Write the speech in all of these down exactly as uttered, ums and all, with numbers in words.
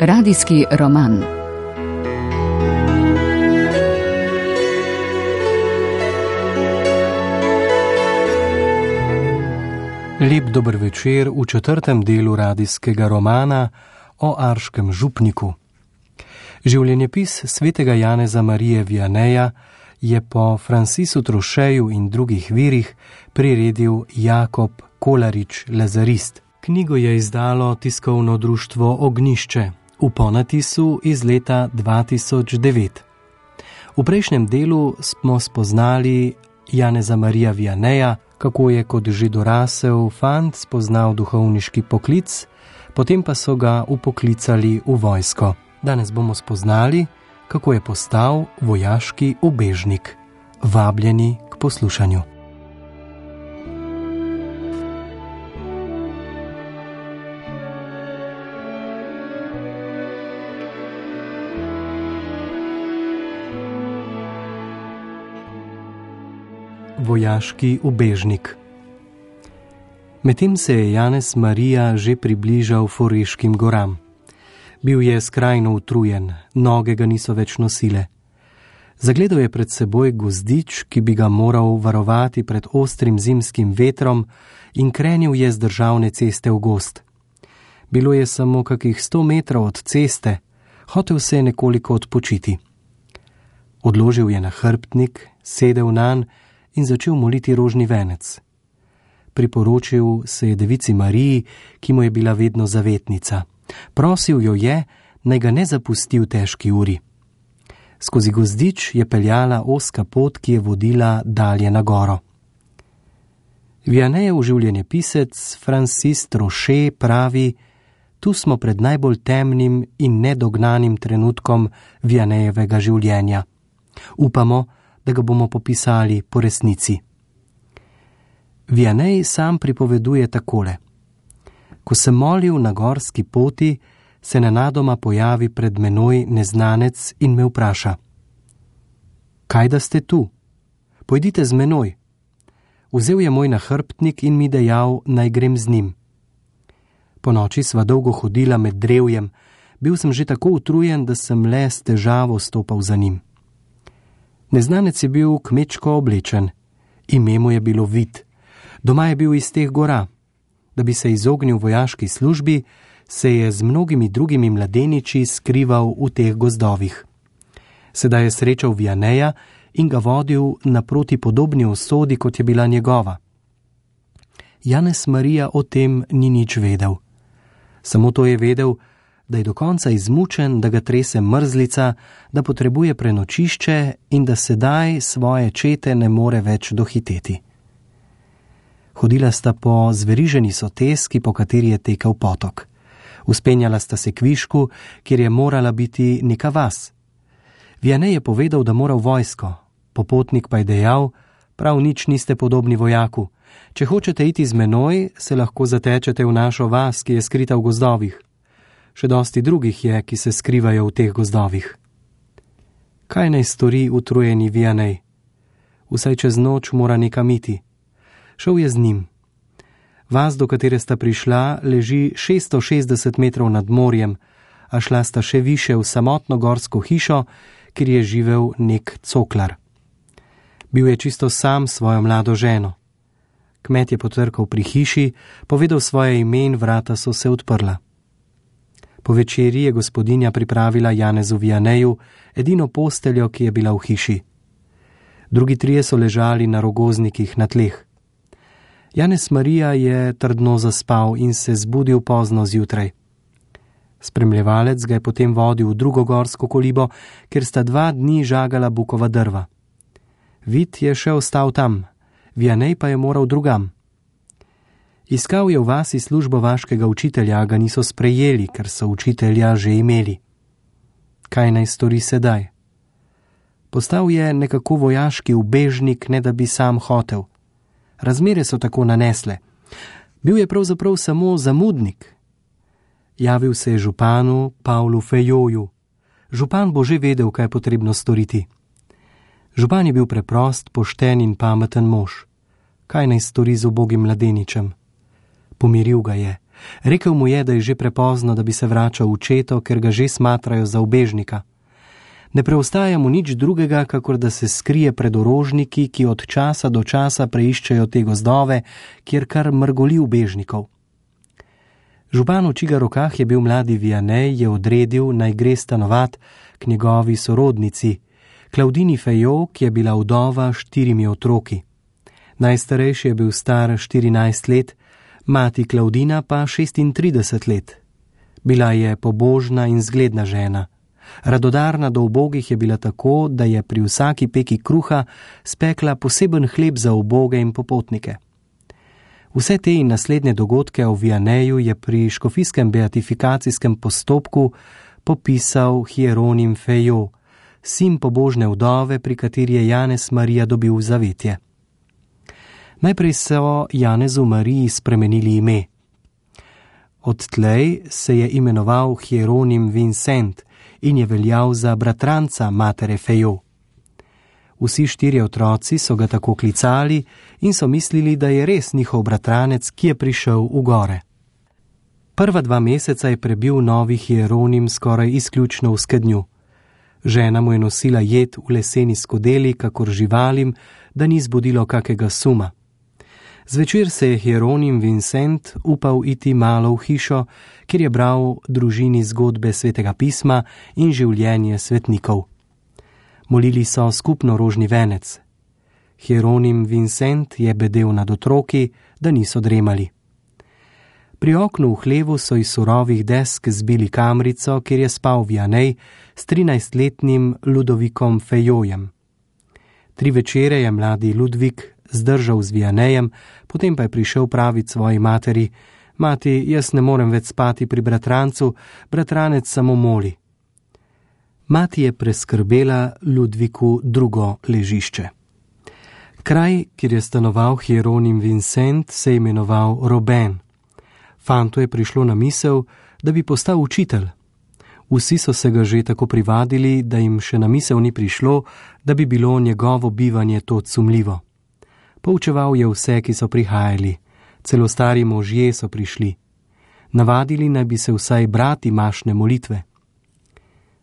Radijski roman. Lep dober večer v četrtem delu radijskega romana o Arškem župniku. Življenjepis svetega Janeza Marije Vianeja je po Francisu Trošeju in drugih virih priredil Jakob Kolarič-Lazarist. Knjigo je izdalo tiskovno društvo Ognjišče v ponatisu iz leta dva tisoč devet. V prejšnjem delu smo spoznali Janeza Marija Vianeja, kako je kot že dorasel fant spoznal duhovniški poklic, potem pa so ga upoklicali v vojsko. Danes bomo spoznali, kako je postal vojaški ubežnik. Vabljeni k poslušanju. Vojaški ubežnik. Medtem se je Janez Marija že približal Foreškim goram. Bil je skrajno utrujen, noge ga niso več nosile. Zagledal je pred seboj gozdič, ki bi ga moral varovati pred ostrim zimskim vetrom, in krenil je z državne ceste v gozd. Bilo je samo kakih sto metrov od ceste, hotel se je nekoliko odpočiti. Odložil je na hrbtnik, sedel nanj in začel moliti rožni venec. Priporočil se je devici Mariji, ki mu je bila vedno zavetnica. Prosil jo je, naj ga ne zapusti v težki uri. Skozi gozdič je peljala ozka pot, ki je vodila dalje na goro. Vianejev življenjepisec Francis Troše pravi: tu smo pred najbolj temnim in nedognanim trenutkom Vianejevega življenja. Upamo, da ga bomo popisali po resnici. Vianej sam pripoveduje takole: ko sem molil na gorski poti, se nenadoma pojavi pred menoj neznanec in me vpraša: kaj da ste tu? Pojdite z menoj. Vzel je moj nahrbtnik in mi dejal, naj grem z njim. Po noči sva dolgo hodila med drevjem, bil sem že tako utrujen, da sem le s težavo stopal za njim. Neznanec je bil kmečko oblečen, ime mu je bilo Vid, doma je bil iz teh gora. Da bi se izognil vojaški službi, se je z mnogimi drugimi mladeniči skrival v teh gozdovih. Sedaj je srečal Vianeja in ga vodil naproti podobni usodi, kot je bila njegova. Janez Marija o tem ni nič vedel. Samo to je vedel, da je do konca izmučen, da ga trese mrzlica, da potrebuje prenočišče in da sedaj svoje čete ne more več dohiteti. Hodila sta po zveriženi soteski, po kateri je tekel potok. Vzpenjala sta se k višku, kjer je morala biti neka vas. Vianej je povedal, da mora v vojsko. Popotnik pa je dejal: prav nič niste podobni vojaku. Če hočete iti z menoj, se lahko zatečete v našo vas, ki je skrita v gozdovih. Še dosti drugih je, ki se skrivajo v teh gozdovih. Kaj naj stori utrujeni Vianej? Vsaj čez noč mora nekam iti. Šel je z njim. Vas, do katere sta prišla, leži šeststo šestdeset metrov nad morjem, a šla sta še više v samotno gorsko hišo, kjer je živel nek coklar. Bil je čisto sam s svojo mlado ženo. Kmet je potrkal pri hiši, povedal svoje ime in vrata so se odprla. Po večeri je gospodinja pripravila Janezu Vianeju edino posteljo, ki je bila v hiši. Drugi trije so ležali na rogoznikih na tleh. Janez Marija je trdno zaspal in se zbudil pozno zjutraj. Spremljevalec ga je potem vodil v drugo gorsko kolibo, kjer sta dva dni žagala bukova drva. Vid je še ostal tam, Vianej pa je moral drugam. Iskal je v vasi službo vaškega učitelja, a ga niso sprejeli, ker so učitelja že imeli. Kaj naj stori sedaj? Postal je nekako vojaški ubežnik, ne da bi sam hotel. Razmere so tako nanesle. Bil je pravzaprav samo zamudnik. Javil se je županu Pavlu Fejoju. Župan bo že vedel, kaj je potrebno storiti. Župan je bil preprost, pošten in pameten mož. Kaj naj stori z ubogim mladeničem? Pomiril ga je, Rekel mu je, da je že prepozno, da bi se vračal v četo, ker ga že smatrajo za ubežnika. Ne preostaja mu nič drugega, kakor da se skrije pred orožniki, ki od časa do časa preiščejo te gozdove, kjer kar mrgoli ubežnikov. Župan, v čigar rokah je bil mladi Vianney, je odredil, naj gre stanovat k njegovi sorodnici, Claudini Fayot, ki je bila vdova s štirimi otroki. Najstarejši je bil star štirinajst let, mati Claudina pa šestintrideset let. Bila je pobožna in zgledna žena. Radodarna do ubogih je bila tako, da je pri vsaki peki kruha spekla poseben hleb za uboge in popotnike. Vse te in naslednje dogodke o Vianneyju je pri škofijskem beatifikacijskem postopku popisal Hieronim Fayot, sin pobožne vdove, pri kateri je Janez Marija dobil zavetje. Najprej so Janezu Mariji spremenili ime. Odtlej se je imenoval Hieronim Vincent in je veljal za bratranca matere Fayot. Vsi štirje otroci so ga tako klicali in so mislili, da je res njihov bratranec, ki je prišel v gore. Prva dva meseca je prebil novi Hieronim skoraj izključno v skednju. Žena mu je nosila jed v leseni skodeli, kakor živalim, da ni zbudilo kakega suma. Zvečer se je Hieronim Vincent upal iti malo v hišo, kjer je bral družini zgodbe svetega pisma in življenje svetnikov. Molili so skupno rožni venec. Hieronim Vincent je bedel nad otroki, da niso dremali. Pri oknu v hlevu so iz surovih desk zbili kamrico, kjer je spal Vianney s trinajstletnim Ludovikom Fayotem. Tri večere je mladi Ludvik zdržal z Vianneyjem, potem pa je prišel praviti svoji materi: Mati, jaz ne morem več spati pri bratrancu, bratranec samo moli. Mati je preskrbela Ludviku drugo ležišče. Kraj, kjer je stanoval Hieronim Vincent, se je imenoval Roben. Fantu je prišlo na misel, da bi postal učitelj. Vsi so se ga že tako privadili, da jim še na misel ni prišlo, da bi bilo njegovo bivanje to sumljivo. Poučeval je vse, ki so prihajali. Celo stari možje so prišli. Navadili naj bi se vsaj brati mašne molitve.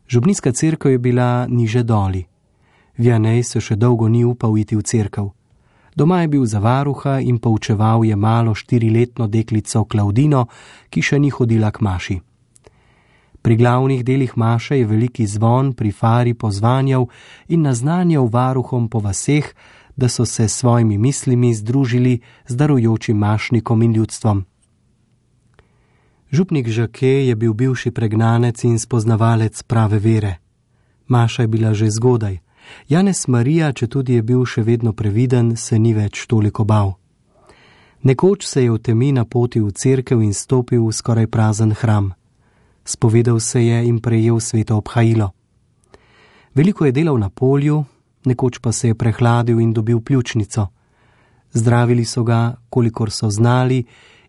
Župnijska cerkev je bila niže doli. Vianney se še dolgo ni upal iti v cerkev. Doma je bil za varuha in poučeval je malo štiriletno deklico Claudino, ki še ni hodila k maši. Pri glavnih delih maše je veliki zvon pri fari pozvanjal in naznanjal varuhom po vaseh, da so se s svojimi mislimi združili z darujočim mašnikom in ljudstvom. Župnik Jacquet je bil bivši pregnanec in spoznavalec prave vere. Maša je bila že zgodaj. Janez Marija, četudi je bil še vedno previden, se ni več toliko bal. Nekoč se je v temi napotil v cerkev in stopil v skoraj prazen hram. Spovedal se je in prejel sveto obhajilo. Veliko je delal na polju, nekoč pa se je prehladil in dobil pljučnico. Zdravili so ga, kolikor so znali,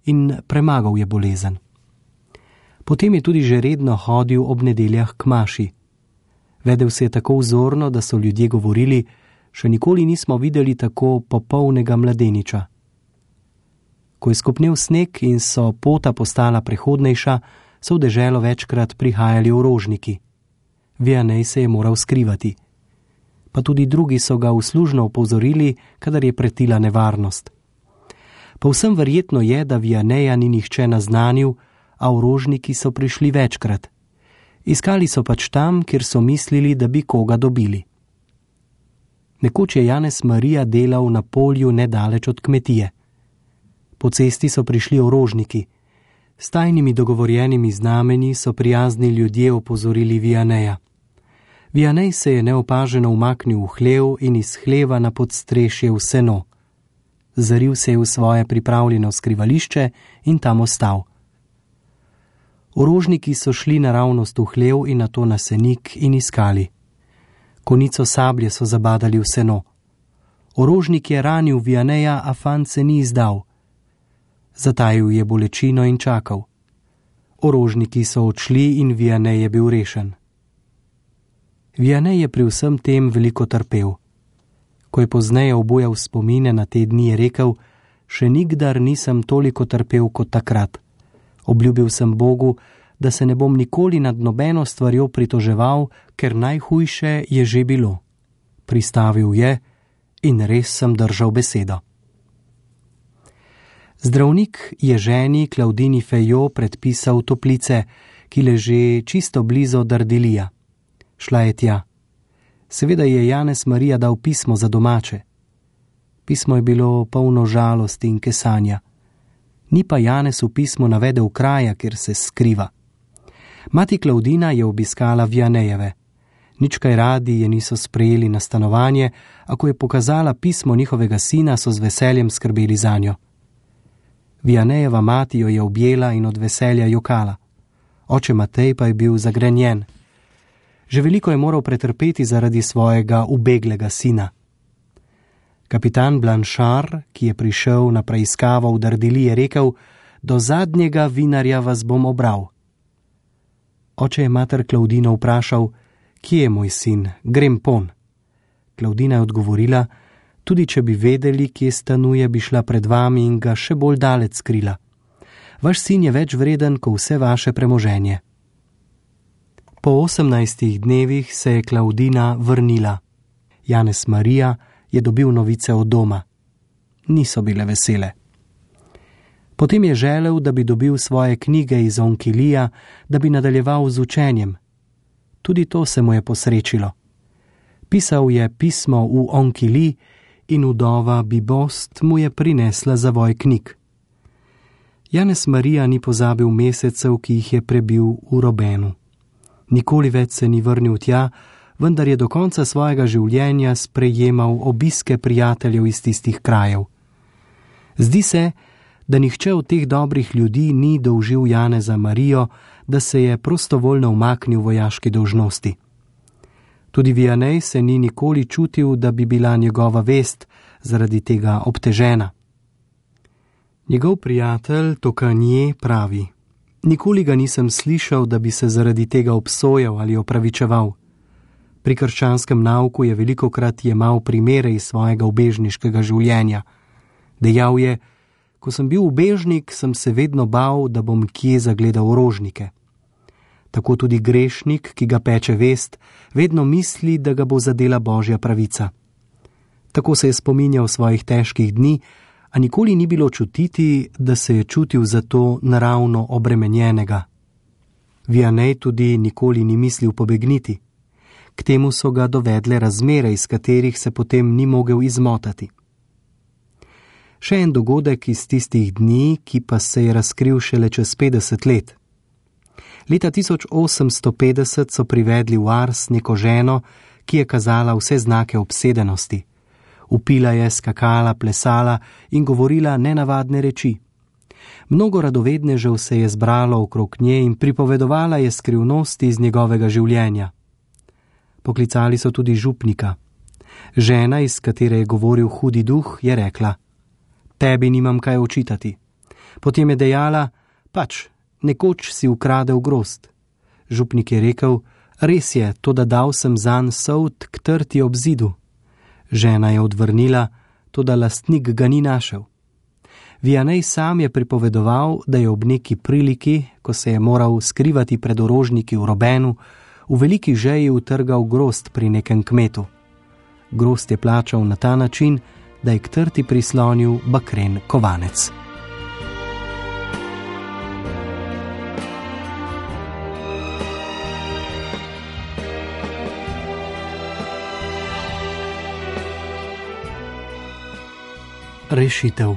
in premagal je bolezen. Potem je tudi že redno hodil ob nedeljah k maši. Vedel se je tako vzorno, da so ljudje govorili: še nikoli nismo videli tako popolnega mladeniča. Ko je skopnel sneg in so pota postala prehodnejša, so v deželo večkrat prihajali orožniki. Vianney se je moral skrivati. Pa tudi drugi so ga uslužno opozorili, kadar je pretila nevarnost. Povsem verjetno je, da Vianneyja ni nihče naznanil, a orožniki so prišli večkrat. Iskali so pač tam, kjer so mislili, da bi koga dobili. Nekoč je Janez Marija delal na polju nedaleč od kmetije. Po cesti so prišli orožniki. S tajnimi dogovorjenimi znamenji so prijazni ljudje opozorili Vianneyja. Vianney se je neopaženo umaknil v hlev in iz hleva na podstrešje v seno. Zaril se je v svoje pripravljeno skrivališče in tam ostal. Orožniki so šli naravnost v hlev in nato na senik in iskali. Konico sablje so zabadali v seno. Orožnik je ranil Vianneyja, a fant se ni izdal. Zatajil je bolečino in čakal. Orožniki so odšli in Vianney je bil rešen. Vianney je pri vsem tem veliko trpel. Ko je pozneje obujal spomine na te dni, je rekel: še nikdar nisem toliko trpel kot takrat. Obljubil sem Bogu, da se ne bom nikoli nad nobeno stvarjo pritoževal, ker najhujše je že bilo. Pristavil je in res sem držal besedo. Zdravnik je ženi Klaudini Fejo predpisal toplice, ki leže čisto blizu Dardilija. Šla je tja. Seveda je Janez Marija dal pismo za domače. Pismo je bilo polno žalosti in kesanja. Ni pa Janez v pismu navedel kraja, kjer se skriva. Mati Klaudina je obiskala Vianejeve. Nič kaj radi je niso sprejeli na stanovanje, a ko je pokazala pismo njihovega sina, so z veseljem skrbeli zanjo. Vianejeva mati jo je objela in od veselja jokala. Oče Matej pa je bil zagrenjen. Že veliko je moral pretrpeti zaradi svojega ubeglega sina. Kapitan Blanchard, ki je prišel na preiskavo v Dardili, je rekel: do zadnjega vinarja vas bom obral. Oče je mater Klaudino vprašal: kje je moj sin, grem pon. Klaudina je odgovorila: tudi če bi vedeli, kje stanuje, bi šla pred vami in ga še bolj daleč skrila. Vaš sin je več vreden, kot vse vaše premoženje. Po osemnajstih dnevih se je Klaudina vrnila. Janez Marija je dobil novice od doma. Niso bile vesele. Potem je želel, da bi dobil svoje knjige iz Onkilija, da bi nadaljeval z učenjem. Tudi to se mu je posrečilo. Pisal je pismo v Onkili in vdova Bibost mu je prinesla zavoj knjig. Janez Marija ni pozabil mesecev, ki jih je prebil v Robenu. Nikoli več se ni vrnil tja, vendar je do konca svojega življenja sprejemal obiske prijateljev iz tistih krajev. Zdi se, da nihče od teh dobrih ljudi ni dolžil Janeza Marijo, da se je prostovoljno umaknil vojaški dolžnosti. Tudi Vianej se ni nikoli čutil, da bi bila njegova vest zaradi tega obtežena. Njegov prijatelj Tokanje pravi: nikoli ga nisem slišal, da bi se zaradi tega obsojal ali opravičeval. Pri krščanskem nauku je velikokrat jemal primere iz svojega ubežniškega življenja. Dejal je: ko sem bil ubežnik, sem se vedno bal, da bom kje zagledal rožnike. Tako tudi grešnik, ki ga peče vest, vedno misli, da ga bo zadela Božja pravica. Tako se je spominjal svojih težkih dni, a nikoli ni bilo čutiti, da se je čutil zato naravno obremenjenega. Vianej tudi nikoli ni mislil pobegniti. K temu so ga dovedle razmere, iz katerih se potem ni mogel izmotati. Še en dogodek iz tistih dni, ki pa se je razkril šele čez petdeset let. Leta tisoč osemsto petdeset so privedli v Ars neko ženo, ki je kazala vse znake obsedenosti. Vpila je, skakala, plesala in govorila nenavadne reči. Mnogo radovednežev se je zbralo okrog nje in pripovedovala je skrivnosti iz njegovega življenja. Poklicali so tudi župnika. Žena, iz katere je govoril hudi duh, je rekla: tebi nimam kaj očitati. Potem je dejala: pač, nekoč si ukradel grozd. Župnik je rekel: res je, toda dal sem zanj sold k trti ob zidu. Žena je odvrnila, toda lastnik ga ni našel. Vianej sam je pripovedoval, da je ob neki priliki, ko se je moral skrivati pred orožniki v Robenu, v veliki žeji utrgal grozd pri nekem kmetu. Grozd je plačal na ta način, da je k trti prislonil bakren kovanec. Rešitev.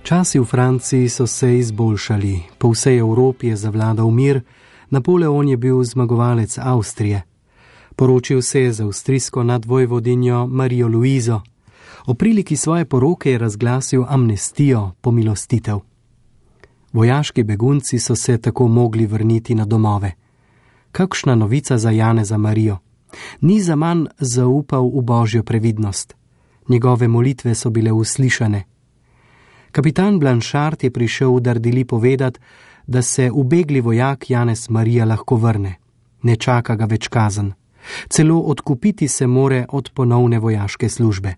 Časi v Franciji so se izboljšali, po vsej Evropi je zavladal mir, Napoleon je bil zmagovalec Avstrije. Poročil se je z avstrijsko nadvojvodinjo Marijo Luizo. O priliki svoje poroke je razglasil amnestijo, pomilostitev. Vojaški begunci so se tako mogli vrniti na domove. Kakšna novica za Janeza Marijo. Ni zaman zaupal v Božjo previdnost. Njegove molitve so bile uslišane. Kapitan Blanchard je prišel v Dardili povedati, da se ubegli vojak Janez Marija lahko vrne. Ne čaka ga več kazen. Celo odkupiti se more od ponovne vojaške službe.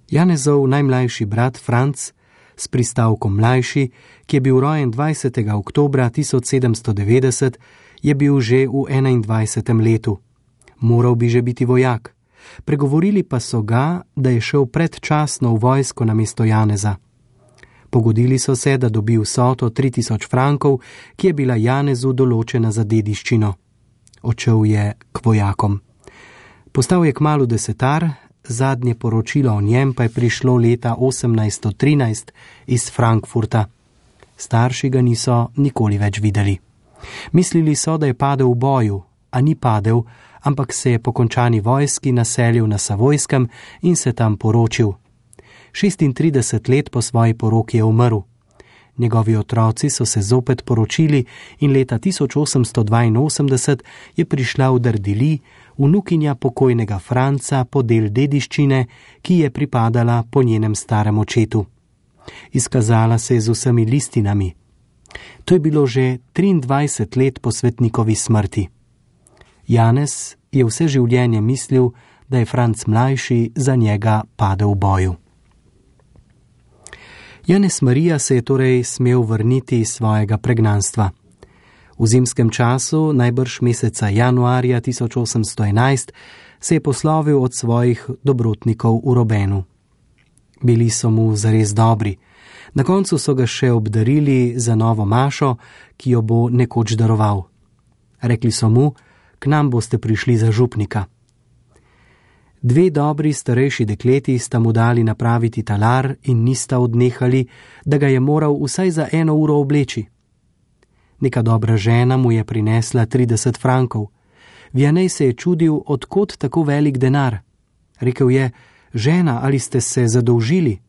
Janezov najmlajši brat Franc S pristavkom mlajši, ki je bil rojen dvajsetega oktobra tisoč sedemsto devetdeset, je bil že v enaindvajsetem letu. Moral bi že biti vojak. Pregovorili pa so ga, da je šel predčasno v vojsko namesto Janeza. Pogodili so se, da dobi vsoto tri tisoč frankov, ki je bila Janezu določena za dediščino. Odšel je k vojakom. Postal je kmalu desetar, zadnje poročilo o njem pa je prišlo leta osemnajststo trinajst iz Frankfurta. Starši ga niso nikoli več videli. Mislili so, da je padel v boju, a ni padel, ampak se je po končani vojski naselil na Savojskem in se tam poročil. šestintrideset let po svoji poroki je umrl. Njegovi otroci so se zopet poročili in leta tisoč osemsto dvainosemdeset je prišla v Dardili vnukinja pokojnega Franca po del dediščine, ki je pripadala po njenem starem očetu. Izkazala se je z vsemi listinami. To je bilo že triindvajset let po svetnikovi smrti. Janez je vse življenje mislil, da je Franc mlajši za njega padel v boju. Janez Marija se je torej smel vrniti iz svojega pregnanstva. V zimskem času, najbrž meseca januarja tisoč osemsto enajst, se je poslovil od svojih dobrotnikov v Robenu. Bili so mu zares dobri. Na koncu so ga še obdarili za novo mašo, ki jo bo nekoč daroval. Rekli so mu, k nam boste prišli za župnika. Dve dobri starejši dekleti sta mu dali napraviti talar in nista odnehali, da ga je moral vsaj za eno uro obleči. Neka dobra žena mu je prinesla trideset frankov. Vianej se je čudil, od kod tako velik denar. Rekel je, žena, ali ste se zadolžili?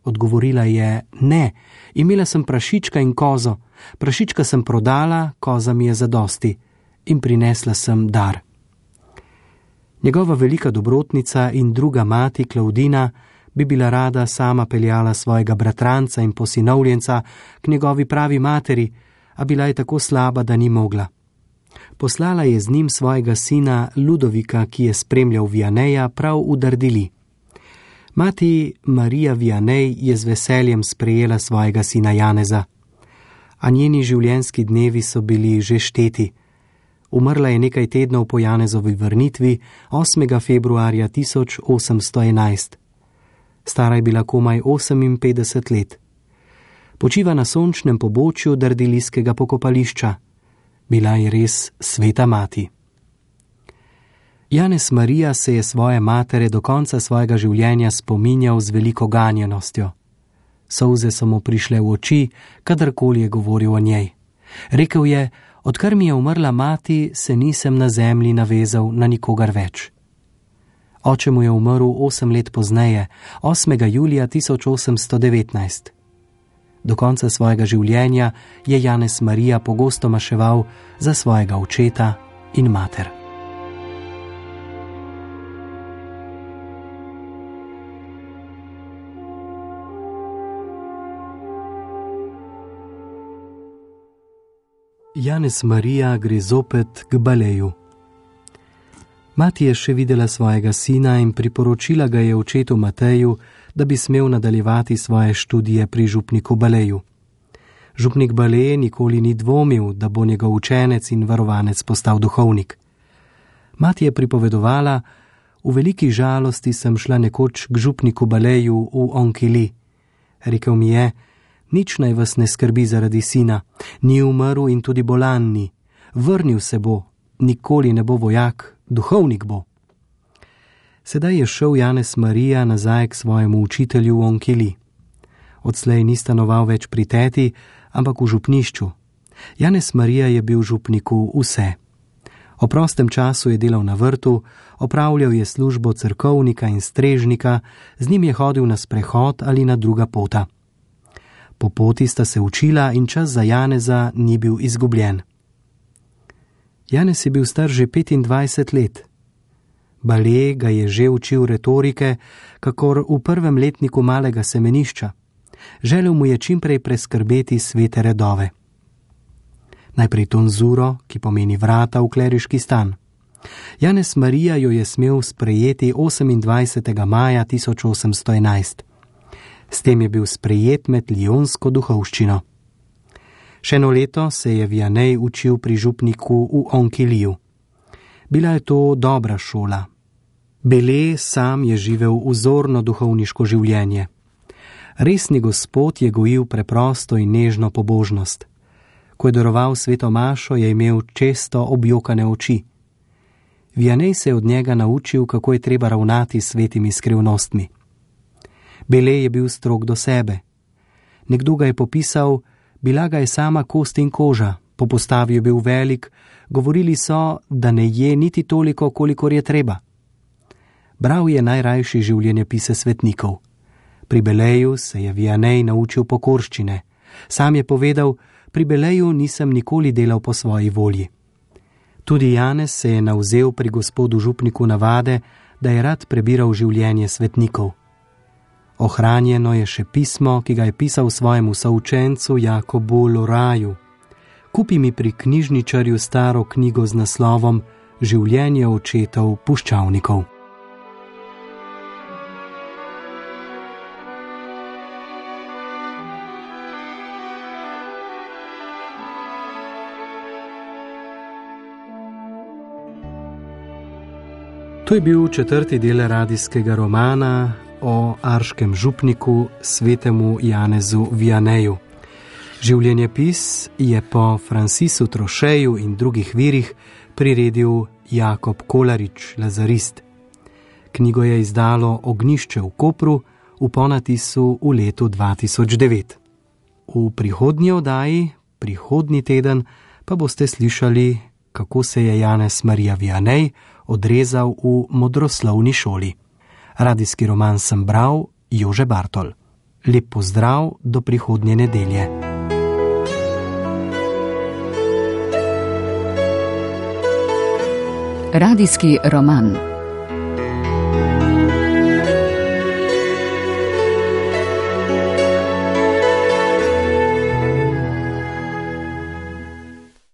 Odgovorila je, ne, imela sem prašička in kozo. Prašička sem prodala, koza mi je zadosti. In prinesla sem dar. Njegova velika dobrotnica in druga mati, Klaudina, bi bila rada sama peljala svojega bratranca in posinovljenca k njegovi pravi materi, a bila je tako slaba, da ni mogla. Poslala je z njim svojega sina Ludovika, ki je spremljal Vianeja prav v Dardili. Mati Marija Vianej je z veseljem sprejela svojega sina Janeza, a njeni življenjski dnevi so bili že šteti. Umrla je nekaj tednov po Janezovi vrnitvi, osmega februarja tisoč osemsto enajst. Stara je bila komaj oseminpetdeset let. Počiva na sončnem pobočju dardilijskega pokopališča. Bila je res sveta mati. Janez Marija se je svoje matere do konca svojega življenja spominjal z veliko ganjenostjo. Solze so mu prišle v oči, kadarkoli je govoril o njej. Rekel je, odkar mi je umrla mati, se nisem na zemlji navezal na nikogar več. Oče mu je umrl osem let pozneje, osmega julija tisoč osemsto devetnajst. Do konca svojega življenja je Janez Marija pogosto maševal za svojega očeta in mater. Janez Marija gre zopet k baleju. Mati je še videla svojega sina in priporočila ga je očetu Mateju, da bi smel nadaljevati svoje študije pri župniku Baleju. Župnik Baleje nikoli ni dvomil, da bo njegov učenec in varovanec postal duhovnik. Mati je pripovedovala, v veliki žalosti sem šla nekoč k župniku Baleju v Onkili. Rekel mi je, nič naj vas ne skrbi zaradi sina, ni umrl in tudi bolan ni. Vrnil se bo, nikoli ne bo vojak, duhovnik bo. Sedaj je šel Janez Marija nazaj k svojemu učitelju v Onkili. Odslej ni stanoval več pri teti, ampak v župnišču. Janez Marija je bil župniku vse. O prostem času je delal na vrtu, opravljal je službo cerkovnika in strežnika, z njim je hodil na sprehod ali na druga pota. Po poti sta se učila in čas za Janeza ni bil izgubljen. Janez je bil star že petindvajset let. Bale ga je že učil retorike, kakor v prvem letniku malega semenišča. Želel mu je čimprej preskrbeti svete redove. Najprej tonzuro, ki pomeni vrata v kleriški stan. Janez Marija jo je smel sprejeti osemindvajsetega maja tisoč osemsto enajst. S tem je bil sprejet med lionsko duhovščino. Še eno leto se je Vianney učil pri župniku v Onkiliju. Bila je to dobra šola. Bele sam je živel vzorno duhovniško življenje. Resni Gospod je gojil preprosto in nežno pobožnost. Ko je daroval sveto mašo, je imel često objokane oči. Vianney se je od njega naučil, kako je treba ravnati s svetimi skrivnostmi. Bele je bil strog do sebe. Nekdo ga je popisal, bila ga je sama kost in koža, po postavi je bil velik, govorili so, da ne je niti toliko, kolikor je treba. Bral je najrajši življenjepise svetnikov. Pri Beleju se je Vianney naučil pokorščine. Sam je povedal, pri Beleju nisem nikoli delal po svoji volji. Tudi Janez se je navzel pri gospodu župniku navade, da je rad prebiral življenje svetnikov. Ohranjeno je še pismo, ki ga je pisal svojemu součencu Jakobu Loraju. Kupi mi pri knjižničarju staro knjigo z naslovom Življenje očetov puščavnikov. To je bil četrti del radijskega romana o arškem župniku svetemu Janezu Vianneyju. Življenjepis je po Francisu Trocheju in drugih virih priredil Jakob Kolarič, lazarist. Knjigo je izdalo Ognjišče v Kopru v ponatisu v letu dva tisoč devet. V prihodnji oddaji, prihodnji teden, pa boste slišali, kako se je Janez Marija Vianney odrezal v modroslovni šoli. Radijski roman sem bral Jože Bartol. Lep pozdrav do prihodnje nedelje. Radijski roman.